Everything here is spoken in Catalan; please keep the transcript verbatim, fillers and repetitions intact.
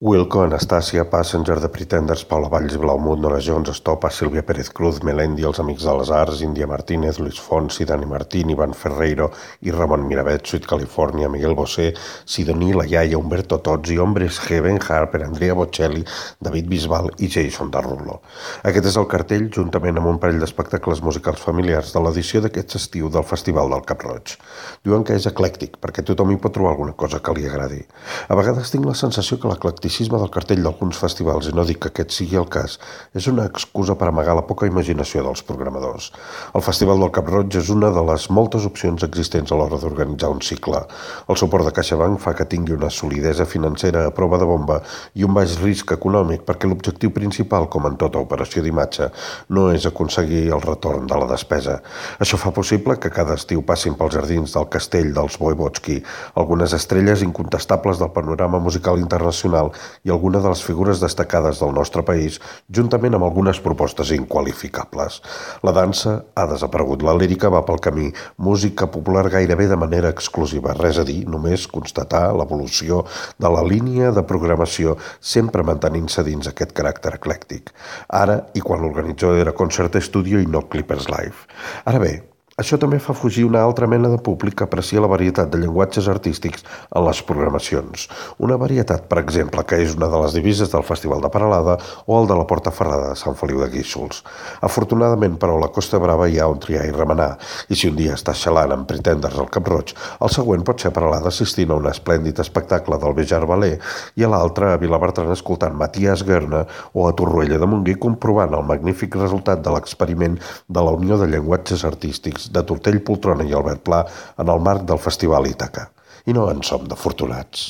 Wilco, Anastasia, Passenger, The Pretenders, Paula Valls, Blaumut, Nora Jones, Estopa, Sílvia Pérez Cruz, Melendi, Els Amics de les Arts, Índia Martínez, Luis Fonsi, Dani Martín, Ivan Ferreiro i Ramon Miravet, Sweet California, Miguel Bosé, Sidoní, La Iaia, Umberto Tozzi, Hombres G, Ben Harper, Andrea Bocelli, David Bisbal i Jason Derulo. Aquest és el cartell, juntament amb un parell d'espectacles musicals familiars de l'edició d'aquest estiu del Festival del Cap Roig. Diuen que és eclèctic, perquè tothom hi pot trobar alguna cosa que li agradi. A vegades tinc la sensació que l'eclecticisme del cartell d'alguns festivals, i no dic que aquest sigui el cas, és una excusa per amagar la poca imaginació dels programadors. El Festival del Cap Roig és una de les moltes opcions existents a l'hora d'organitzar un cicle. El suport de CaixaBank fa que tingui una solidesa financera a prova de bomba i un baix risc econòmic, perquè l'objectiu principal, com en tota operació d'imatge, no és aconseguir el retorn de la despesa. Això fa possible que cada estiu passin pels jardins del castell dels Voivodski algunes estrelles incontestables del panorama musical internacional i alguna de les figures destacades del nostre país, juntament amb algunes propostes inqualificables. La dansa ha desaparegut, la lírica va pel camí, música popular gairebé de manera exclusiva, res a dir, només constatar l'evolució de la línia de programació, sempre mantenint-se dins aquest caràcter eclèctic. Ara, i quan l'organitzador era Concert Studio i no Clippers Live. Ara bé, això també fa fugir una altra mena de públic que aprecia la varietat de llenguatges artístics en les programacions. Una varietat, per exemple, que és una de les divises del Festival de Peralada o el de la Porta Ferrada de Sant Feliu de Guíxols. Afortunadament, però, a la Costa Brava hi ha on triar i remenar, i si un dia estàs xalant amb Pretenders al Cap Roig, el següent pot ser a Peralada assistint a un esplèndid espectacle del Bejar Ballet i a l'altre a Vilabertran escoltant Matías Guerna o a Torroella de Montgrí comprovant el magnífic resultat de l'experiment de la Unió de Llenguatges Artístics de Tortell Poltrona i Albert Pla en el marc del Festival Ítaca. I no en som d'afortunats.